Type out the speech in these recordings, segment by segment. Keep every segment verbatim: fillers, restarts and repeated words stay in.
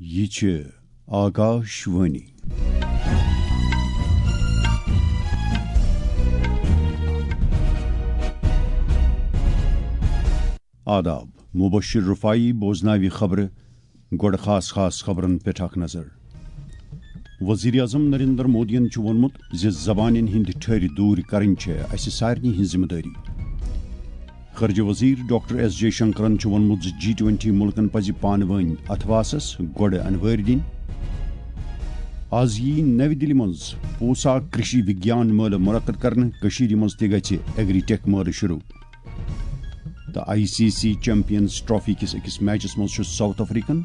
یہِ چھِ آکاش وانی۔ آداب، مبشر رفاعی بوزناوِ خبرٕ۔ گۄڈٕ خاص خاص خبرن پٮ۪ٹھ اکھ نظر۔ وزیر اعظم نریندر مودیَن چھُ ووٚنمُت زِ زبانن ہٕنٛدۍ ٹھٔرۍ دوٗرۍ کرٕنۍ چھےٚ اسہِ سارنٕے ہٕنٛز ذمہٕ دٲری۔ خارجہ وزیر ڈاکٹر ایس جے شنکرن چھُ ووٚنمُت زِ جی ٹوئنٹی مُلکن پزِ پانہٕ وٲنۍ اتھواسس گۄڈٕ انوٲرۍ دِنۍ۔ از یِیہِ نَوِ دِلہِ منٛز پوسا کرشی وگیان مٲلہٕ منعقد کرنہٕ۔ کٔشیٖرِ منٛز تہِ گژھِ ایگری ٹیک مٲلہٕ شروع۔ تہٕ I C C champions trophy کِس أکِس میچس منٛز چھُ ساؤتھ افریقن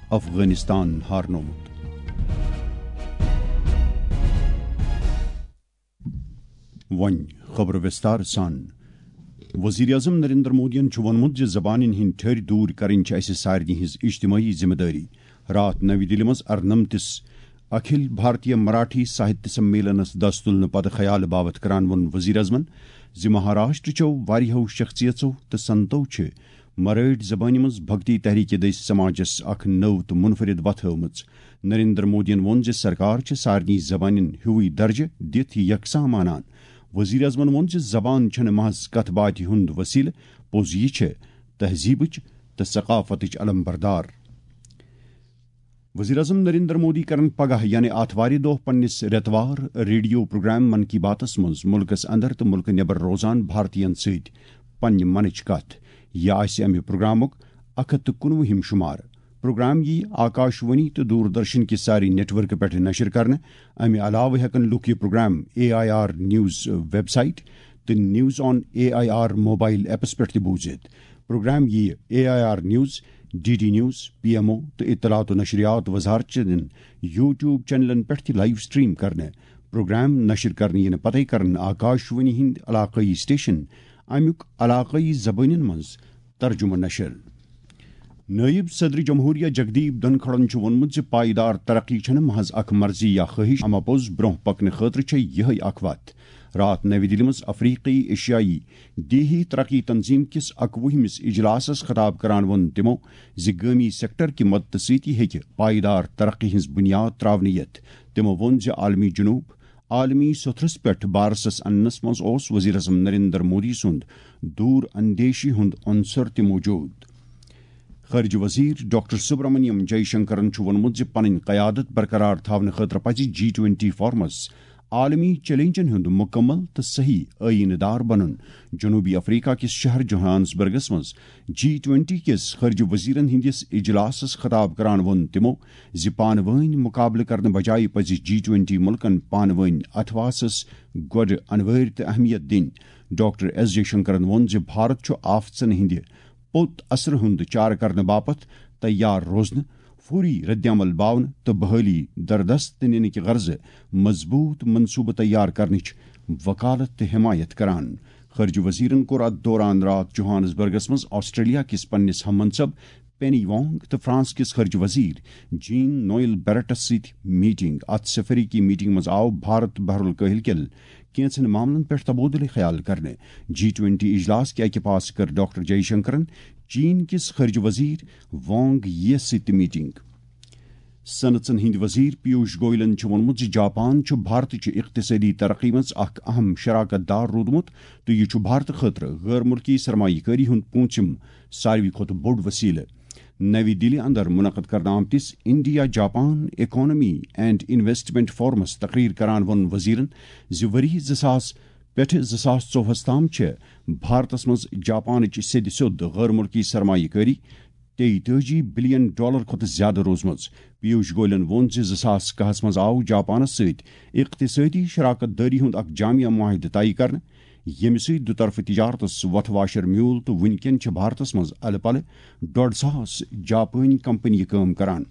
افغانستان ہارنوومُت۔ وۄنۍ خبرٕ وِستار سان۔ وزیر اعظم نریندر مودیَن چھُ ووٚنمُت زِ زبانن ہٕنٛدۍ ٹھٔرۍ دوٗرۍ کرٕنۍ چھِ اسہِ سارنٕے ہٕنٛز اجتماعی ذمہٕ دٲری۔ راتھ نَوِ دِلہِ منٛز ارنمتِس اکھل بھارتیہ مراٹھی ساہتیہ سمیلنس دس تُلنہٕ پتہٕ خیالہٕ باوتھ کران ووٚن وزیر اعظمن زِ مہاراشٹرٕچو واریاہو شخصیژو تہٕ سنتو چھِ مرٲٹھۍ زبانہِ منٛز بھکتی تحریکہِ دٔسۍ سماجس اکھ نٔو تہٕ منفرد وتھ ہٲومٕژ۔ نریندر مودیَن ووٚن زِ سرکار چھِ سارنٕے زبانن ہیوٗوٕے درجہٕ دِتھ یکساں مانان۔ وزیر اعظمن ووٚن زِ زبان چھنہٕ محض کتھ باتھِ ہُنٛد وسیلہٕ، پوٚز یہِ چھِ تہذیبٕچ تہٕ ثقافتٕچ علم بردار۔ وزیر اعظم نریندر مودی کرن پگاہ یعنی آتھوارِ دۄہ پننِس رٮ۪توار ریڈیو پروگرام من کی باتس منٛز ملکس اندر تہٕ ملکہٕ نٮ۪بر روزان بھارتین سۭتۍ پننہِ منٕچ کتھ۔ یہِ آسہِ امہِ پروگرامُک اکھ ہتھ تہٕ کُنوُہِم شمار۔ پروگرام یِیہِ آکاش وانی تہٕ دوردرشن کہِ سارے نیٹ ورکہٕ پٮ۪ٹھ نشر کرنہٕ۔ امہِ علاوٕ ہٮ۪کن لوٗکھ یہِ programme A I R news website تہٕ news on A I R mobile apps پٮ۪ٹھ تہِ بوٗزِتھ۔ پروگرام یِیہِ A I R news, D D news, P M O تہٕ اطلاعات و نشریات وزارت چٮ۪ن یوٹیوب چینلن پٮ۪ٹھ تہِ لائیو سٹریم کرنہٕ۔ پروگرام نشر کرنہٕ یِنہٕ پتے کرن آکاش وانی ہٕنٛدۍ علاقٲیی سٹیشن امیُک علاقٲیی زبٲنٮ۪ن منٛز ترجمہٕ نشر۔ نٲیِب صدر جمہوریہ جگدیپ دھنکھڑن چھُ ووٚنمُت زِ پائیدار ترقی چھَنہٕ محض اکھ مرضی یا خٲہِش، اما پوٚز برٛونٛہہ پکنہٕ خٲطرٕ چھےٚ یِہے اکھ وتھ۔ راتھ نَوِ دِلہِ منٛز افریقی ایشیائی دیہی ترقی تنظیم کِس اکوُہمِس اجلاسس خطاب کران ووٚن تِمو زِ گٲمی سیکٹر کہِ مدتہٕ سۭتی ہیٚکہِ پائیدار ترقی ہٕنٛز بُنیاد ترٛاونہٕ یِتھ۔ تِمو ووٚن زِ عالمی جنوب عالمی سوٚتھرس پٮ۪ٹھ بارسس اننس منٛز اوس وزیر اعظم نریندر مودی سُنٛد دوٗر اندیشی ہُنٛد عنصر تہِ موجود۔ خارجہ وزیر ڈاکٹر سبرامنیم جے شنکرن چھُ ووٚنمُت زِ پنٕنۍ قیادت برقرار تھاونہٕ خٲطرٕ پزِ جی ٹوئنٹی فورمس عالمی چیلنجن ہُنٛد مکمل تہٕ صحیح آئینہٕ دار بنُن۔ جنوبی افریقہ کِس شہر جوہانسبرگس منٛز جی ٹوئنٹی کِس خارجہ وزیرن ہٕنٛدِس اجلاسس خطاب کران ووٚن تِمو زِ پانہٕ وٲنۍ مقابلہٕ کرنہٕ بجایہِ پزِ جی ٹوئنٹی مُلکن پانہٕ وٲنۍ اتھواسس گۄڈٕ انوٲرۍ تہٕ اہمیت دِنۍ۔ ڈاکٹر ایس جے شنکرن ووٚن زِ بھارت چھُ آفژن ہٕنٛدِ پوٚت اثرٕ ہُنٛد چارٕ کرنہٕ باپتھ تیار روزنہٕ، فوری ردعمل باونہٕ تہٕ بحالی دردست نِنہٕ کہِ غرضہٕ مضبوط منصوبہٕ تیار کرنٕچ وکالت تہٕ حمایت کران۔ خارجہ وزیرن کوٚر اتھ دوران راتھ جوہانسبرگس منٛز آسٹریلیا کِس پننِس ہم منصب پینی وانگ تہٕ فرانس کِس خارجہ وزیر جین نوئل بیرٹس سۭتۍ میٹنگ۔ اتھ سفریکی میٹنگ منٛز آو بھارت بحر الکاہل کٮ۪ن کینٛژن معاملن پٮ۪ٹھ تبادلہٕ خیال کرنہٕ۔ جی ٹوئنٹی اجلاس کہِ اکہِ پاسہٕ کٔر ڈاکٹر جے شنکرن چین کِس خارجہ وزیر وانگ یی یَس سۭتۍ تہِ میٹنگ۔ صنعژن ہٕنٛدۍ وزیر پیوش گوئلن چھُ ووٚنمُت زِ جاپان چھُ بھارتٕچہِ اقتصٲدی ترقی منٛز اکھ اہم شراکت دار روٗدمُت تہٕ یہِ چھُ بھارتہٕ خٲطرٕ غٲر مُلکی سرمایہ کٲری ہُنٛد پوٗنٛژِم ساروی کھۄتہٕ بوٚڑ وسیلہٕ۔ نَوِ دِلہِ اندر منعقد کرنہٕ آمتِس India Japan economy and investment forums تقریر کران ووٚن وزیرن زِ ؤری زٕ ساس پٮ۪ٹھٕ زٕ ساس ژۄوُہس تام چھِ بھارتس منٛز جاپانٕچ سیٚدِ سیوٚد غٲر مُلکی سرمایہ کٲری تیتٲجی بلین ڈالر کھۄتہٕ زیادٕ روٗزمٕژ۔ پیوش گوئلن ووٚن زِ زٕ ساس کاہس منٛز آو جاپانس سۭتۍ اقتصٲدی شراکت دٲری ہُنٛد اکھ جامع معاہدٕ طے کرنہٕ، ییٚمہِ سۭتۍ دُطرفہٕ تجارتس وتھ واشر میوٗل تہٕ وُنکٮ۪ن چھِ بھارتس منٛز الہٕ پلہٕ ڈۄڈ ساس جاپٲنۍ کمپنیہِ کٲم کران۔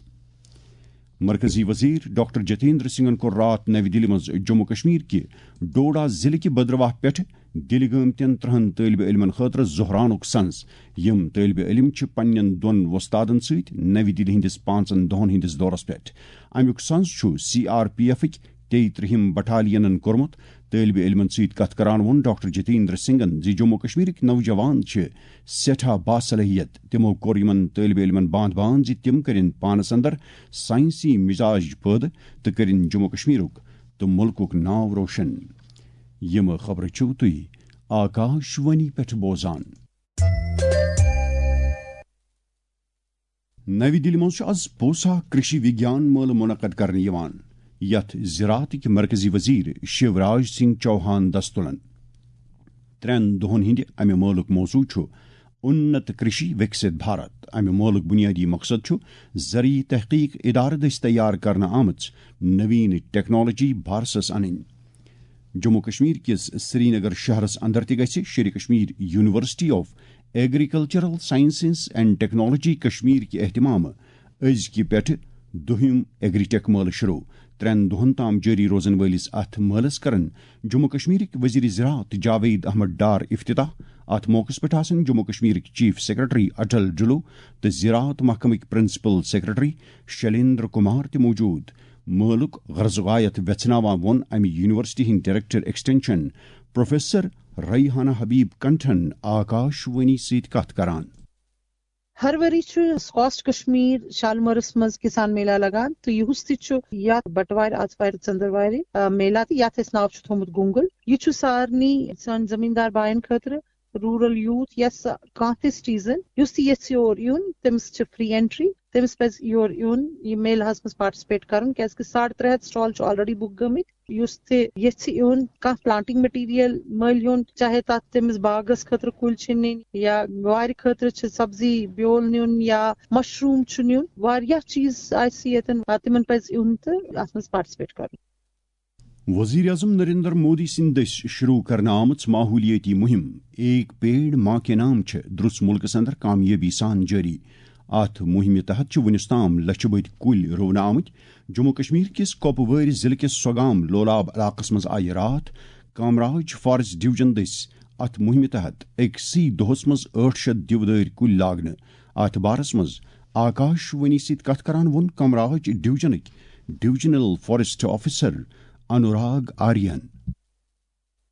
مرکزی وزیر ڈاکٹر جتیندر سنگھن کوٚر راتھ نَوِ دِلہِ منٛز جموں کشمیر کہِ ڈوڈا ضلعہٕ کہِ بدرواہ پٮ۪ٹھٕ دِلہِ گٲمتٮ۪ن ترٛہن طٲلبہِ علمن خٲطرٕ ظہرانُک سنز۔ یِم طٲلبہِ علم چھِ پننٮ۪ن دۄن وۄستادن سۭتۍ نَوِ دِلہِ ہٕنٛدِس پانٛژن دۄہن ہٕنٛدِس دورس پٮ۪ٹھ۔ امیُک سنز چھُ سی آر پی ایفٕکۍ تیٚیہِ ترٛہِم بٹالینن کوٚرمُت۔ طٲلبہِ علمن سۭتۍ کتھ کران ووٚن ڈاکٹر جتیندر سنگھن زِ جموں و کشمیرٕکۍ نوجوان چھِ سٮ۪ٹھاہ باصلٲحیت۔ تِمو کوٚر یِمن طٲلبہِ علمن باندھ باندھ زِ تِم کٔرِن پانس اندر ساینسی مزاج پٲدٕ تہٕ کٔرِن جموں و کشمیرُک تہٕ مُلکُک ناو روشن۔ یِم خبرٕ چھِو تُہۍ آکاش وانی پٮ۪ٹھ بوزان۔ نَوِ دِلہِ منٛز چھُ از پوسا کرشی وگیان مٲلہٕ منعقد کرنہٕ یِوان، یتھ زراعتٕکۍ مرکزی وزیر شیوراج سنگھ چوہان دستہٕ تُلن۔ ترٛٮ۪ن دۄہن ہٕنٛدِ امہِ مٲلُک موضوع چھُ انت کرشی وکست بھارت۔ امہِ مٲلُک بنیادی مقصد چھُ زرعی تحقیق ادارٕ دٔسۍ تیار کرنہٕ آمٕژ نوین ٹیکنالوجی بھارتس انٕنۍ۔ جموں کشمیر کِس سرینگر شہرس اندر تہِ گژھِ Sher Kashmir university of agricultural sciences and technology Kashmir کہِ اہتمامہٕ أزکہِ پٮ۪ٹھٕ دوٚیِم ایگری ٹیک مٲلہٕ شروع۔ ترٛٮ۪ن دۄہن تام جٲری روزن وٲلِس اتھ مٲلس کرن جموں کشمیرٕکۍ وزیر زراعت جاوید احمد ڈار افتتاح۔ اتھ موقعس پٮ۪ٹھ آسن جموں کشمیرٕکۍ چیف سیکرٹری اٹل ڈلو تہٕ زراعت محکمٕکۍ پرنسپل سیکرٹری شلیندر کمار تہِ موجود۔ مٲلُک غرض غایت ویژھناوان ووٚن امہِ یونیورسٹی ہٕنٛدۍ ڈائریکٹر ایکسٹینشن پروفیسر ریحانہ حبیب کنٹھن آکاش وانی سۭتۍ کتھ کران۔ ہر ؤری چھُ سکاسٹ کشمیر شالمٲرس منٛز کسان میلہ لگان تہٕ یُہُس تہِ چھُ یتھ بٹوارِ، آتھوارِ، ژٔندٕروارِ، آ، میلہ تہٕ یتھ أسۍ ناو چھُ تھوٚومُت گونگل۔ یہِ چھُ سارنٕے سانہِ زمیٖندار باین خٲطرٕ، روٗرل یوٗتھ یا سا-، کانٛہہ تہِ سٹیزن یُس تہِ یژھِ یور یُن، تٔمِس چھِ فری اینٹری، تٔمِس پزِ یور یُن، یہِ میلہس منٛز پارٹیسپیٹ کرُن، کیازِ کہِ ساڑ ترٛےٚ ہتھ سٹال چھِ آلریڈی بُک گٔمٕتۍ۔ یُس تہِ یژھِ یُن، کانٛہہ پلانٹنگ مٹیریل مٔلۍ ہیوٚن، چاہے تتھ تٔمِس باغس خٲطرٕ کُلۍ چھِ نِنۍ یا وارِ خٲطرٕ چھِ سبزی بیول نیُن یا مشروم چھُ نیُن، واریاہ چیز آسہِ ییٚتٮ۪ن، آ، تِمن پزِ یُن تہٕ اتھ منٛز پارٹیسپیٹ کرُن۔ وزیر اعظم نریندر مودی سٕنٛدِ دٔسۍ شروع کرنہٕ آمٕژ ماحولیٲتی مُہِم ایک پیڑ ماں کے نام چھِ درٛس مُلکس اندر کامیٲبی سان جٲری۔ اتھ مُہِمہِ تحت چھِ وُنیُس تام لچھِ بٔدۍ کُلۍ رُونہٕ آمٕتۍ۔ جموں کشمیر کِس کۄپوٲرۍ ضلعہٕ کِس سۄگام لولاب علاقس منٛز آیہِ راتھ کامراج فارسٹ ڈویژن دٔسۍ اتھ مُہِمہِ تحت أکسٕے دۄہس منٛز ٲٹھ شیٚتھ دیودٲرۍ کُلۍ لاگنہٕ۔ اتھ بارس منٛز آکاش وانی سۭتۍ کتھ کران ووٚن کامراج ڈویژنٕکۍ divisional forest officer Anurag Aryan.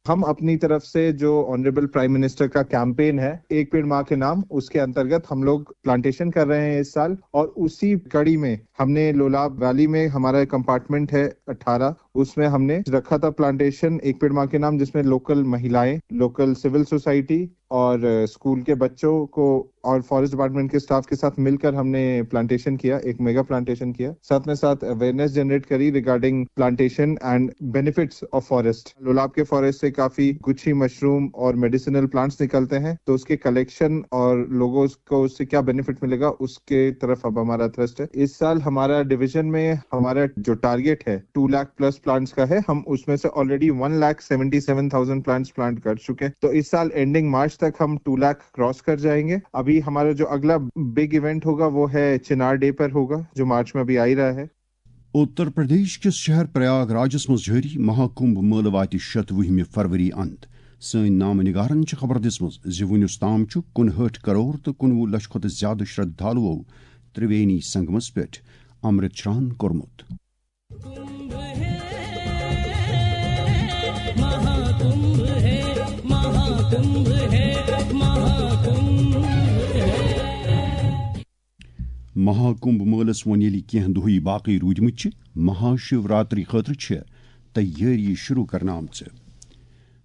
ہم اپنی طرف سے جو آنریبل پرائم منسٹر کا کیمپین ہے ایک پیڑ ماں کے نام، اس کے انترگت ہم لوگ پلانٹیشن کر رہے ہیں اس سال، اور اسی کڑی میں ہم نے لولاب ویلی میں ہمارا ایک کمپارٹمنٹ ہے اٹھارہ، اس میں ہم نے رکھا تھا پلانٹیشن ایک پیڑ ماں کے نام، جس میں لوکل مہیلائیں، لوکل سول سوسائٹی اور اسکول کے بچوں کو اور فارسٹ ڈپارٹمنٹ کے اسٹاف کے ساتھ مل کر ہم نے پلانٹیشن کیا، ایک میگا پلانٹیشن کیا، ساتھ میں ساتھ awareness generate curry regarding plantation and benefits of forest. Lolab K forest سے کافی گچھی مشروم اور میڈیسنل پلانٹس نکلتے ہیں، تو اس کے کلیکشن اور لوگوں کو اس سے کیا بینیفٹ ملے گا، اس کے طرف اب ہمارا تھرسٹ ہے۔ اس سال ہمارا ڈویژن میں ہمارا جو ٹارگیٹ ہے ٹو لاکھ پلس پلانٹس کا ہے، ہم اس میں سے already one lakh seventy seven thousand plants plant کر چکے ہیں۔ تو اس سال اینڈنگ مارچ تک ہم ٹو لاکھ کراس کر جائیں گے۔ ابھی ہمارا جو اگلا بگ ایونٹ ہوگا وہ ہے چنار ڈے پر ہوگا، جو مارچ میں ابھی آ ہی رہا ہے۔ اتر پردیش کِس شہر پریاگ راجس منٛز جٲری مہاکمبھ مٲلہٕ واتہِ شتوُہمہِ فروری اند۔ سٲنۍ نامہٕ نگارن چھِ خبر دِژمٕژ زِ وُنیُس تام چھُ کُنہٲٹھ کرور تہٕ کُنوُہ لچھ کھۄتہٕ زیادٕ شرٛدھالوٗو ترٛوینی سنگمس پٮ۪ٹھ امرت شران کوٚرمُت۔ مہاکمبھ مٲلس وۄنۍ ییٚلہِ کینٛہہ دۄہٕے باقٕے روٗدمٕتۍ چھِ، مہاشیوراتری خٲطرٕ چھِ تیٲری شروع کرنہٕ آمژٕ۔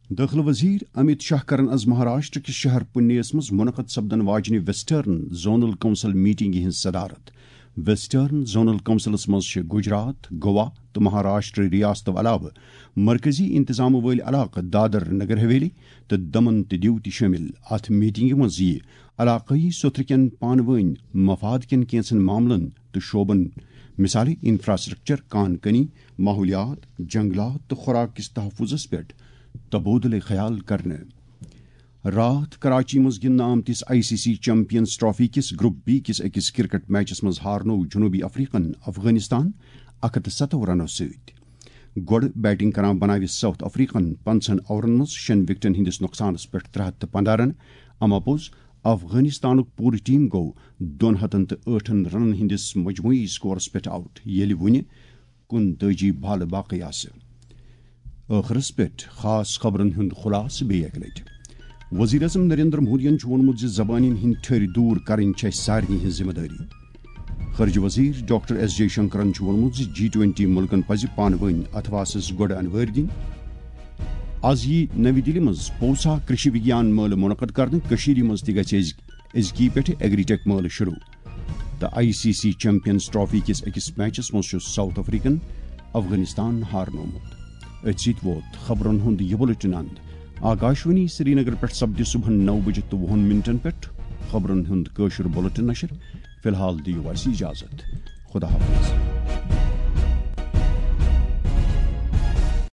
دٲخلہٕ وزیر امت شاہ کرن از مہاراشٹر کِس شہر پُنیس منٛز منعقد سپدن واجنہِ ویسٹرن زونل کونسل میٹنگہِ ہٕنٛز صدارت۔ ویسٹرن زونل کونسلس منٛز چھِ گجرات، گوا تہٕ مہاراشٹر ریاستو علاوٕ مرکزی انتظامہٕ وٲلۍ علاقہٕ دادر نگر حویلی تہٕ دمن تہٕ دیو تہِ شٲمِل۔ اتھ میٹنگہِ منٛز یِیہِ علاقٲیی سوٚتھرٕ کٮ۪ن پانہٕ وٲنۍ مفاد کٮ۪ن کینٛژن معاملن تہٕ شعبن، مثالے انفراسٹرکچر، کان کنی، ماحولیات، جنگلات تہٕ خوراک کِس تحفظس پٮ۪ٹھ تبادلہٕ خیال کرنہٕ۔ راتھ کراچی منٛز گِنٛدنہٕ آمتِس I C C champions trophy کِس گروپ بی کِس أکِس کرکٹ میچس منٛز ہارنوو جنوبی افریقن افغانستان اکھ ہتھ تہٕ ستوُہ رنو سۭتۍ۔ گۄڈٕ بیٹنگ کران بناوِ ساؤتھ افریقن پنٛژاہن اوورن منٛز شیٚن وکٹن ہٕنٛدِس نۄقصانس پٮ۪ٹھ ترٛےٚ ہتھ تہٕ پنٛداہ رن، اما پوٚز افغانستانُک پوٗرٕ ٹیم گوٚو دۄن ہتن تہٕ ٲٹھن رنن ہٕنٛدِس مجموعی سکورس پٮ۪ٹھ آؤٹ، ییٚلہِ وُنہِ کُنتٲجی بالہٕ باقٕے آسہٕ۔ ٲخرس پٮ۪ٹھ خاص خبرن ہُنٛد خلاصہٕ بیٚیہِ اکہِ لٹہِ۔ وزیر اعظم نریندر مودیَن چھُ ووٚنمُت زِ زبانن ہٕنٛدۍ ٹھٔرۍ دوٗر کرٕنۍ چھےٚ اَسہِ سارنٕے ہٕنٛز ذمہٕ دٲری۔ خارجہ وزیر ڈاکٹر ایس جے شنکرن چھُ ووٚنمُت زِ جی ٹوینٹی مُلکن پزِ پانہٕ وٲنۍ اتھواسس گۄڈٕ انوٲرۍ دِنۍ۔ از یی نوِ دِلہِ منٛز پوسا کرشی وگیان مٲلہٕ منعقد کرنہٕ۔ کٔشیٖرِ منٛز تہِ گژھِ أزۍ أزکی پٮ۪ٹھٕ ایگری ٹیک مٲلہٕ شروع۔ تہٕ I C C champions trophy کِس أکِس میچس منٛز چھُ ساؤتھ افریقن افغانستان ہارنومُت۔ أتھۍ سۭتۍ ووت خبرن ہُنٛد یہِ بُلٹن اند۔ آکاشوانی سرینگر پٮ۪ٹھ سپدِ صبحن نو بجہِ تہٕ وُہن منٹن پٮ۪ٹھ خبرن ہُنٛد کٲشُر بُلٹن نشر۔ فی الحال دِیِو اَسہِ اجازت۔ خدا حافظ۔